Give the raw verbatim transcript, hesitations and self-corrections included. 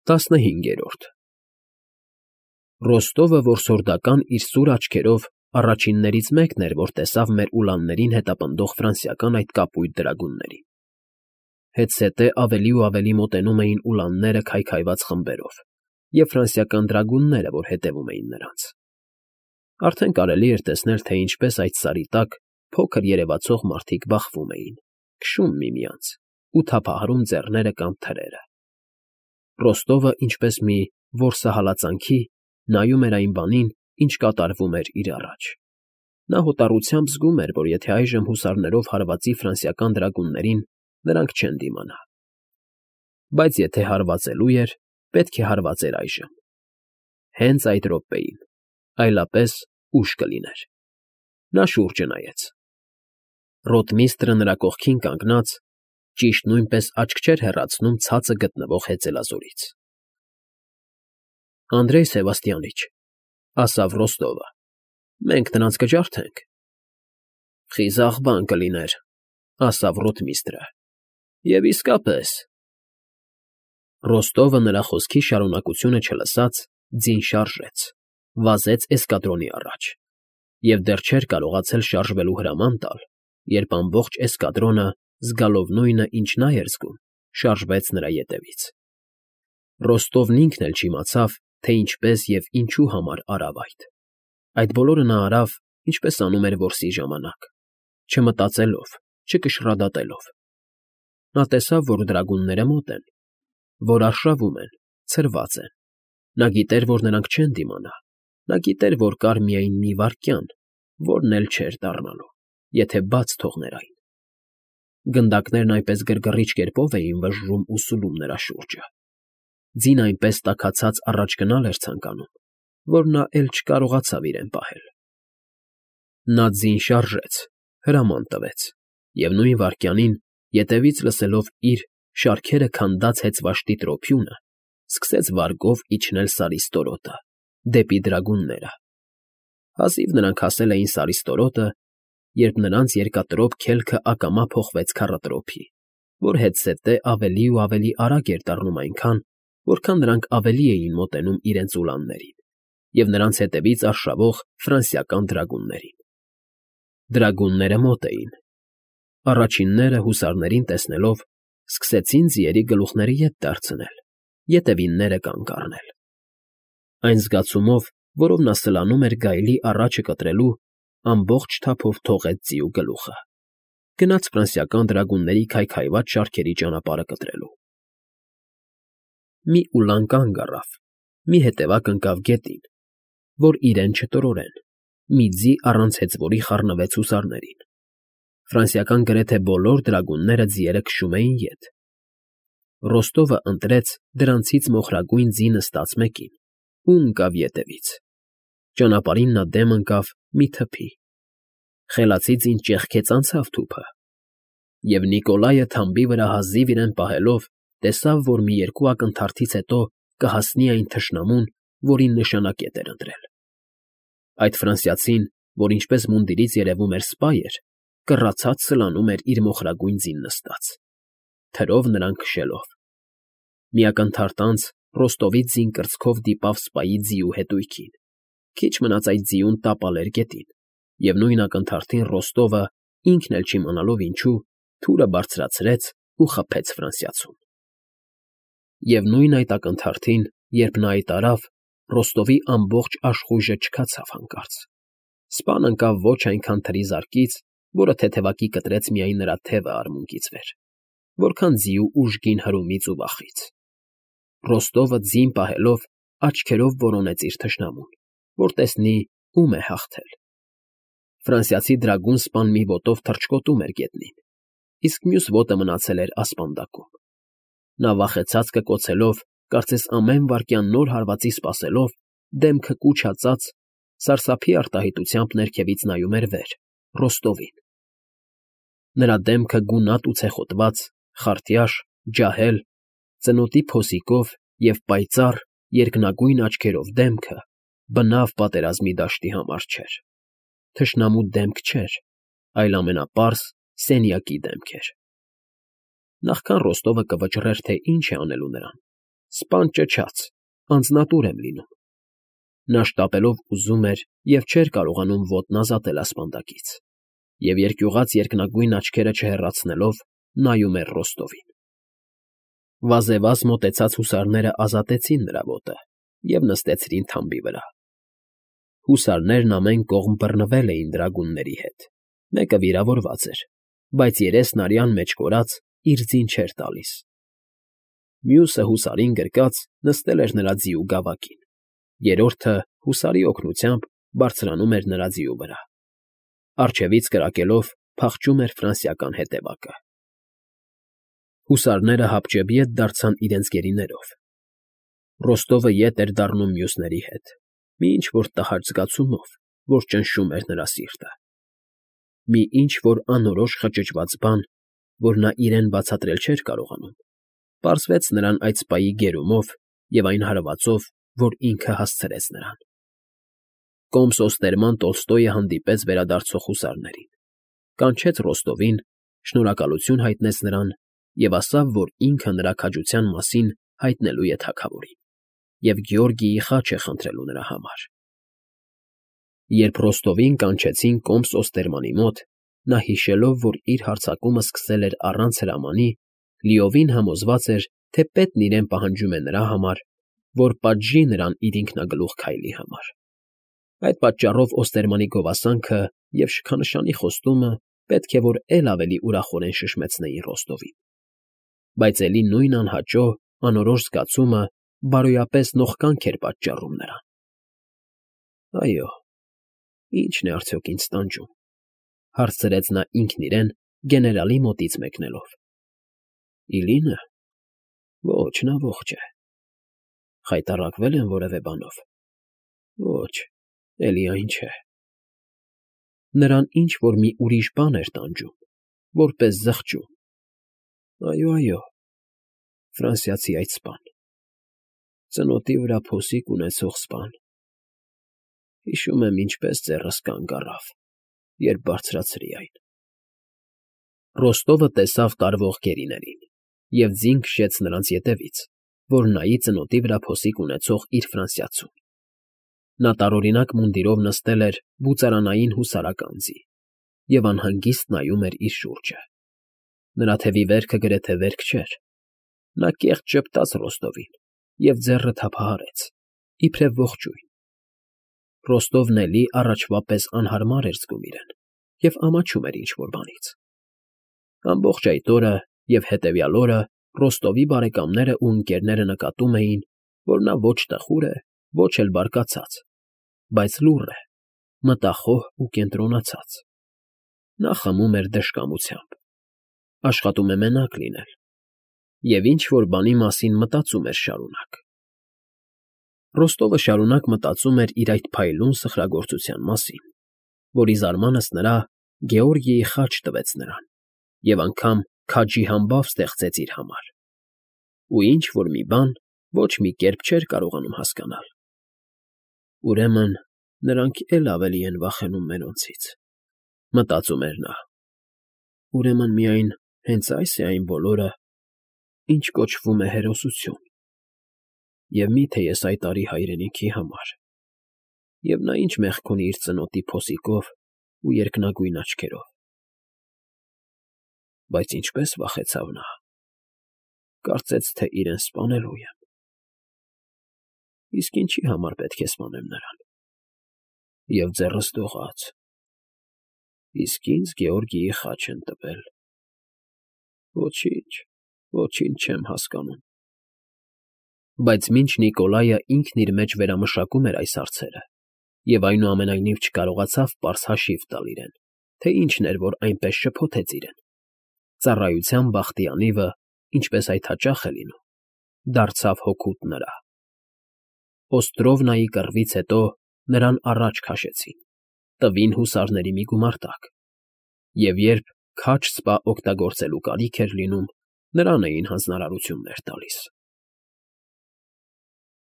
Տասնհինգերորդ Ռոստովը որսորդական իր սուր աչքերով առաջիններից մեկն էր, որ տեսավ մեր ուլաններին հետապնդող ֆրանսիական այդ կապույտ դրագուններին. հետզհետե ավելի ու ավելի մոտենում էին ուլանները քայքայված խմբերով և ֆրանսիական դրագունները, որ հետևում էին նրանց. արդեն կարելի էր տեսնել, թե ինչպես այդ սարի տակ փոքր երևացող մարդիկ բախվում էին, քշում միմյանց ու թափահարում ձեռները կամ թրերը. Ռոստովը, ինչպես մի որսահալածանքի, նայում էր այն բանին, ինչ կատարվում էր իր առաջ. նա հոտառությամբ զգում էր, որ եթե այժմ հուսարներով հարվածի ֆրանսիական դրագուններին, նրանք չեն դիմանա. բայց եթե հարվածելու էր, պետք է հարվածեր այժմ, հենց այդ րոպեին, այլապես ուշ կլիներ. նա շուրջը նայեց. ռոտմիստրը նրա կողքին կանգնած, ճիշտ նույնպես աչք չէր հեռացնում ցածը գտնվող հեծելազորից։ ֊ Անդրեյ Սևաստիանիչ, ֊ ասավ Ռոստովը, ֊ մենք նրանց կջարդենք։ ֊ Խիզախ բան կլիներ, ֊ ասավ ռոտմիստրը, ֊ և իսկապես… Ռոստովը նրա խոսքի շարունակությունը չլսած, ձին շարժեց, վազեց էսկադրոնի առաջ և դեռ չէր կարողացել շարժվելու հրաման տալ, երբ ամբողջ էսկադրոնը, զգալով նույնը, ինչ նա էր զգում, շարժվեց նրա ետևից։ Ռոստովն ինքն էլ չիմացավ, թե ինչպես և ինչու համար արավ այդ. այդ բոլորը նա արավ, ինչպես անում էր որսի ժամանակ, չմտածելով, չկշռադատելով։ Նա տեսավ, որ դրագունները մոտ են, որ արշավում են, ցրված են. նա գիտեր, որ նրանք չեն դիմանա, նա գիտեր, որ կար միայն մի վայրկյան, որն էլ չէր դառնալու, եթե բաց թողներ այն։ Գնդակներն այնպես գրգռիչ կերպով էին վժժում ու սուլում նրա շուրջը, ձին այնպես տաքացած առաջ գնալ էր ցանկանում, որ նա էլ չկարողացավ իրեն պահել։ Նա ձին շարժեց, հրաման տվեց, և նույն վայրկյանին, ետևից լսելով իր շարքերը քանդած հեծվաշտի տրոփյունը, սկսեց վարգով իջնել Սարի ստորոտը, դեպի դրագունները։ Հազիվ նրանք հասել էին Սարի ստորոտը, երբ նրանց երկատրոփ քելքը ակամա փոխվեց քառատրոփի, որ հետզհետե ավելի ու ավելի արագ էր դառնում այնքան, որքան նրանք ավելի էին մոտենում իրենց ուլաններին և նրանց հետևից արշավող ֆրանսիական դրագուններին։ Դրագունները մոտ էին. առաջինները, հուսարներին տեսնելով, սկսեցին ձիերի գլուխները ետ դարձնել, ետևինները կանգ առնել։ Այն զգացումով, որով նա սլանում էր գայլի առաջը կտրելու, ամբողջ թափով թողեց ձիու գլուխը, գնաց ֆրանսիական դրագունների քայքայված շարքերի ճանապարհը կտրելու։ Մի ուլան կանգ առավ, մի հետևակ ընկավ գետին, որ իրեն չտրորեն, մի ձի առանց հեծվորի խառնվեց հուսարներին։ Ֆրանսիական գրեթե բոլոր դրագունները ձիերը քշում էին ետ։ Ռոստովը ընտրեց դրանցից մոխրագույն ձի նստած մեկին ու ընկավ ետևից։ Ճանապարհին նա դեմ ընկավ մի թփի։ Խելացի ձին ճեղքեց անցավ թուփը, և Նիկոլայը թամբի վրա հազիվ իրեն պահելով, տեսավ, որ մի երկու ակնթարթից հետո կհասնի այն թշնամուն, որին նշանակետ էր ընտրել։ Այդ ֆրանսիացին, որ ինչպես մունդիրից երևում էր սպա էր, կռացած սլանում էր իր մոխրագույն ձին նստած, թրով նրան քշելով։ Մի ակնթարթ անց Ռոստովի ձին կրծքով դիպավ սպայի ձիու հետույքին, քիչ մնաց այդ ձիուն տապալ էր գետին, և նույն ակնթարթին Ռոստովը, ինքն էլ չիմանալով ինչու, թուրը բարձրացրեց ու խփեց ֆրանսիացուն։ Եվ նույն այդ ակնթարթին, երբ նա այդ արավ, Ռոստովի ամբողջ աշխույժը չքացավ հանկարծ։ Սպան ընկավ ոչ այնքան թրի զարկից, որը թեթևակի կտրեց միայն նրա թևը արմունկից վեր, որքան ձիու ուժգին հրումից ու վախից։ Ռոստովը ձին պահելով աչքերով որոնեց իր թշնամուն, որ տեսնի ում է հաղթել։ Ֆրանսիացի դրագուն սպան մի ոտով թռչկոտում էր գետնին, իսկ մյուս ոտը մնացել էր ասպանդակում։ Նա վախեցած կկոցելով, կարծես ամեն վայրկյան նոր հարվածի սպասելով, դեմքը կուչածած, սարսափի արտահայտությամբ ներքևից նայում էր վեր, Ռոստովին։ Նրա դեմքը գունատ ու ցեխոտված, խարտյաշ, ջահել, ծնոտի փոսիկով և պայծառ, երկնագույն աչքերով դեմքը բնավ պատերազմի դաշտի համար չէր։ Թշնամու դեմք չէր, այլ ամենապարզ սենյակի դեմք էր։ Նախքան Ռոստովը կվճռեր, թե ինչ է անելու նրան, սպան ճչաց, անձնատուր եմ լինում։ Նա շտապելով ուզում էր և չէր կարողանում ոտն ազատել ասպանդակից, և երկյուղած երկնագույն աչքերը չհեռացնելով նայում էր Ռոստովին։ Վազեվազ մոտեցած հուսարները ազատեցին նրա ոտը և նստեցրին թամբի վրա։ Հուսարներն ամեն կողմ բռնվել էին դրագունների հետ, մեկը վիրավորված էր, բայց երեսն արյան մեջ կորած իր ձին չէր տալիս։ Մյուսը, հուսարին գրկած, նստել էր նրա ձիու գավակին, երրորդը, հուսարի օգնությամբ, բարձրանում էր նրա ձիու վրա, առջևից կրակելով փախչում էր ֆրանսիական հետևակը։ Հուսարները հապճեպ ետ դարձան իրենց գերիներով։ Ռոստովը ետ էր դառնում մյուսների հետ, մի ինչ֊որ տհաճ զգացումով, որ ճնշում էր նրա սիրտը։ Մի ինչ֊որ անորոշ խճճված բան, որ նա իրեն բացատրել չէր կարողանում, պարզվեց նրան այդ սպայի գերումով և այն հարվածով, որ ինքը հասցրեց նրան։ Կոմս֊օստերման Տոլստոյը հանդիպեց վերադարձող հուսարներին, կանչեց Ռոստովին, շնորհակալություն հայտնեց նրան և ասավ, որ ինքը նրա քաջության մասին հայտնելու է թագավորին և Գեորգիի խաչ է խնդրելու նրա համար։ Երբ Ռոստովին կանչեցին Կոմս֊Օստերմանի մոտ, նա հիշելով, որ իր հարձակումը սկսել էր առանց հրամանի, լիովին համոզված էր, թե պետն իրեն պահանջում է նրա համար, որ պատժի նրան իր ինքնագլուխ քայլի համար։ Այդ պատճառով Օստերմանի գովասանքը և շքանշանի խոստումը պետք է որ էլ ավելի ուրախորեն շշմեցնեին Ռոստովին, բայց էլի նույն անհաճո, անորոշ զգացումը բարոյապես նողկանք էր պատճառում նրան։ «Այո, ի՞նչն է արդյոք ինձ տանջում,֊ հարցրեց նա ինքն իրեն գեներալի մոտից մեկնելով։ «Իլինը… Ոչ, նա ողջ է։ Խայտառակվե՞լ եմ որևէ բանով։ Ոչ, էլի այն չէ։ Նրան ինչ֊որ մի ուրիշ բան էր տանջում, որպես զղջում։ Այո, այո, ֆրանսիացի այդ սպան… Ծնոտի վրա փոսիկ ունեցող սպան… Հիշում եմ ինչպես ձեռս կանգ առավ, երբ բարձրացրի այն»։ Ռոստովը տեսավ տարվող գերիներին և ձին քշեց նրանց ետևից, որ նայի ծնոտի վրա փոսիկ ունեցող իր ֆրանսիացուն։ Նա տարօրինակ մունդիրով նստել էր բուծարանային հուսարական ձի և անհանգիստ նայում էր իր շուրջը։ Նրա թևի վերքը գրեթե վերք չէր։ Նա կեղտ ժպտաց Ռոստովին և ձեռը թափահարեց, իբրև ողջույն։ Ռոստովն էլի առաջվա պես անհարմար էր զգում իրեն և ամաչում էր ինչ֊որ բանից։ Ամբողջ այդ օրը և հետևյալ օրը Ռոստովի բարեկամներն ու ընկերները նկատում էին, որ նա ոչ տխուր է, ոչ էլ բարկացած, բայց լուռ է, մտախոհ ու կենտրոնացած։ Նա խմում էր դժկամությամբ, աշխատում է մենակ լինել և ինչ֊որ բանի մասին մտածում էր շարունակ։ Ռոստովը շարունակ մտածում էր իր այդ փայլուն սխրագործության մասին, որի զարմանքս նրա Գեորգիի խաչ տվեց նրան և անգամ քաջի համբավ ստեղծեց իր համար, ու ինչ֊որ մի բան ոչ մի կերպ չէր կարողանում հասկանալ։ «Ուրեմն նրանք էլ ավելի են վախենում մերոնցից,֊ մտածում էր նա։ Ուրեմն միայն հենց ա՞յս է այն բոլորը, ինչ կոչվում է հերոսություն։ Եվ մի՞թե ես այդ արի հայրենիքի համար։ Եվ նա ի՞նչ մեղք ունի իր ծնոտի փոսիկով ու երկնագույն աչքերով։ Բայց ինչպե՜ս վախեցավ նա… Կարծեց, թե իրեն սպանելու եմ։ Իսկ ինչի համար պետք է սպանեմ նրան։ Եվ ձեռս դողաց… Իսկ ինձ Գեորգիի խաչ են տվել… Ոչինչ, ոչինչ չեմ հասկանում»։ Բայց մինչ Նիկոլայը ինքն իր մեջ վերամշակում էր այս հարցերը և այնուամենայնիվ չկարողացավ պարզ հաշիվ տալ իրեն, թե ինչն էր, որ այնպես շփոթեց իրեն, ծառայության բախտի անիվը, ինչպես այդ հաճախ է լինում, դարձավ հօգուտ նրա։ Օստրովնայի կռվից հետո նրան առաջ քաշեցին, տվին հուսարների մի գումարտակ, և երբ քաջ սպա օգտագործելու կարիք էր լինում, նրան էին հանձնարարություններ տալիս։